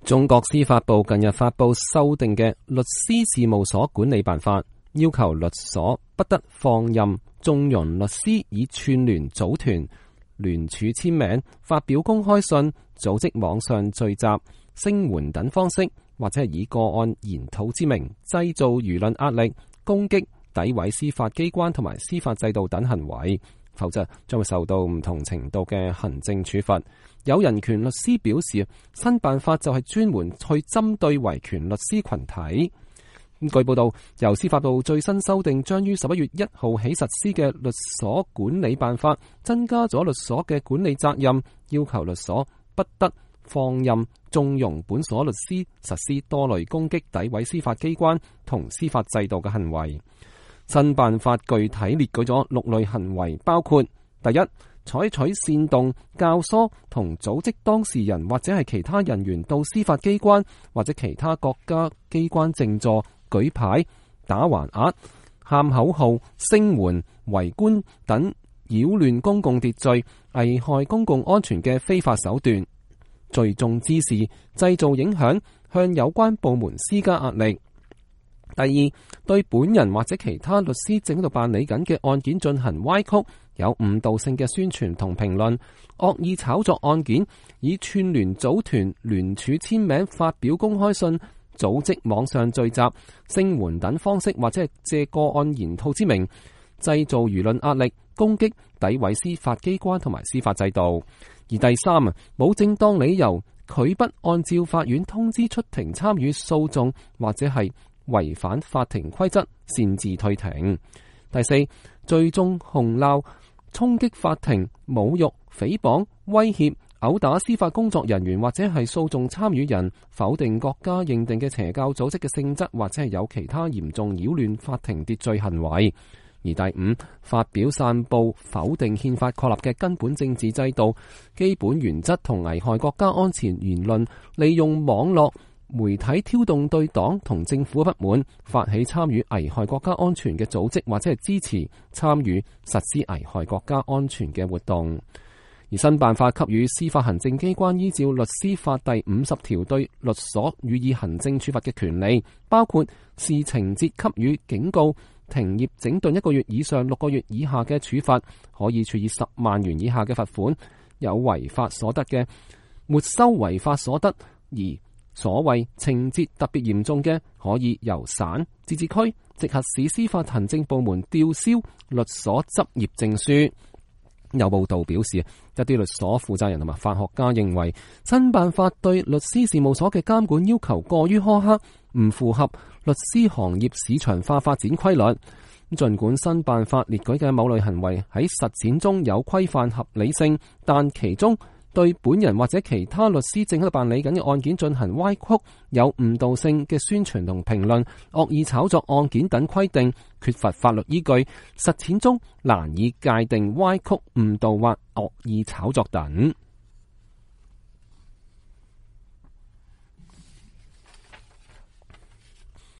中國司法部近日發布修訂嘅律師事務所管理辦法，要求律所不得放任縱容律師以串聯組團、聯署簽名、發表公開信、組織網上聚集、聲援等方式，或者係以個案研討之名製造輿論壓力、攻擊、詆毀司法機關同埋司法制度等行為，否則將會受到唔同程度嘅行政處罰。有人權律師表示，新辦法就係專門去針對維權律師群體。據報道，由司法部最新修訂將於11月1號起實施嘅律所管理辦法，增加咗律所嘅管理責任，要求律所不得放任縱容本所律師實施多類攻擊、詆毀司法機關同司法制度嘅行為。新辦法具體列舉咗6類行為，包括第一，採取煽動、教唆同組織當事人或者係其他人員到司法機關或者其他國家機關靜坐、舉牌、打橫額、喊口號、聲援、圍觀等擾亂公共秩序、危害公共安全嘅非法手段；聚眾滋事、製造影響，向有關部門施加壓力。第二，對本人或者其他律師正喺度辦理緊嘅案件進行歪曲、有誤導性嘅宣傳同評論，惡意炒作案件，以串聯組團、聯署簽名、發表公開信、組織網上聚集、聲援等方式，或者係借個案研討之名，製造輿論壓力、攻擊、詆毀司法機關同埋司法制度。而第三，冇正當理由，拒不按照法院通知出庭參與訴訟，或者係違反法庭規則，擅自退庭。第四，聚眾洪鬧、衝擊法庭、侮辱、誹謗、威脅、毆打司法工作人員或者係訴訟參與人，否定國家認定嘅邪教組織嘅性質，或者係有其他嚴重擾亂法庭秩序行為。而第五，發表散布否定憲法確立嘅根本政治制度、基本原則同危害國家安全言論，利用網絡媒體挑動對黨同政府嘅不滿，發起參與危害國家安全嘅組織，或者係支持參與實施危害國家安全嘅活動。而新辦法給予司法行政機關依照律師法第50條對律所予以行政處罰嘅權利，包括視情節給予警告、停業整頓1個月以上6個月以下嘅處罰，可以處以10萬元以下嘅罰款；有違法所得嘅，沒收違法所得；而所謂情節特別嚴重嘅，可以由省、自治區、直轄市司法行政部門吊銷律所執業證書。有報道表示，一啲律所負責人同埋法學家認為，新辦法對律師事務所嘅監管要求過於苛刻，唔符合律師行業市場化發展規律。儘管新辦法列舉嘅某類行為喺實踐中有規範合理性，但其中對本人或者其他律師正喺度辦理緊嘅案件進行歪曲、有誤導性嘅宣傳同評論、惡意炒作案件等規定，缺乏法律依據，實踐中難以界定歪曲、誤導或惡意炒作等。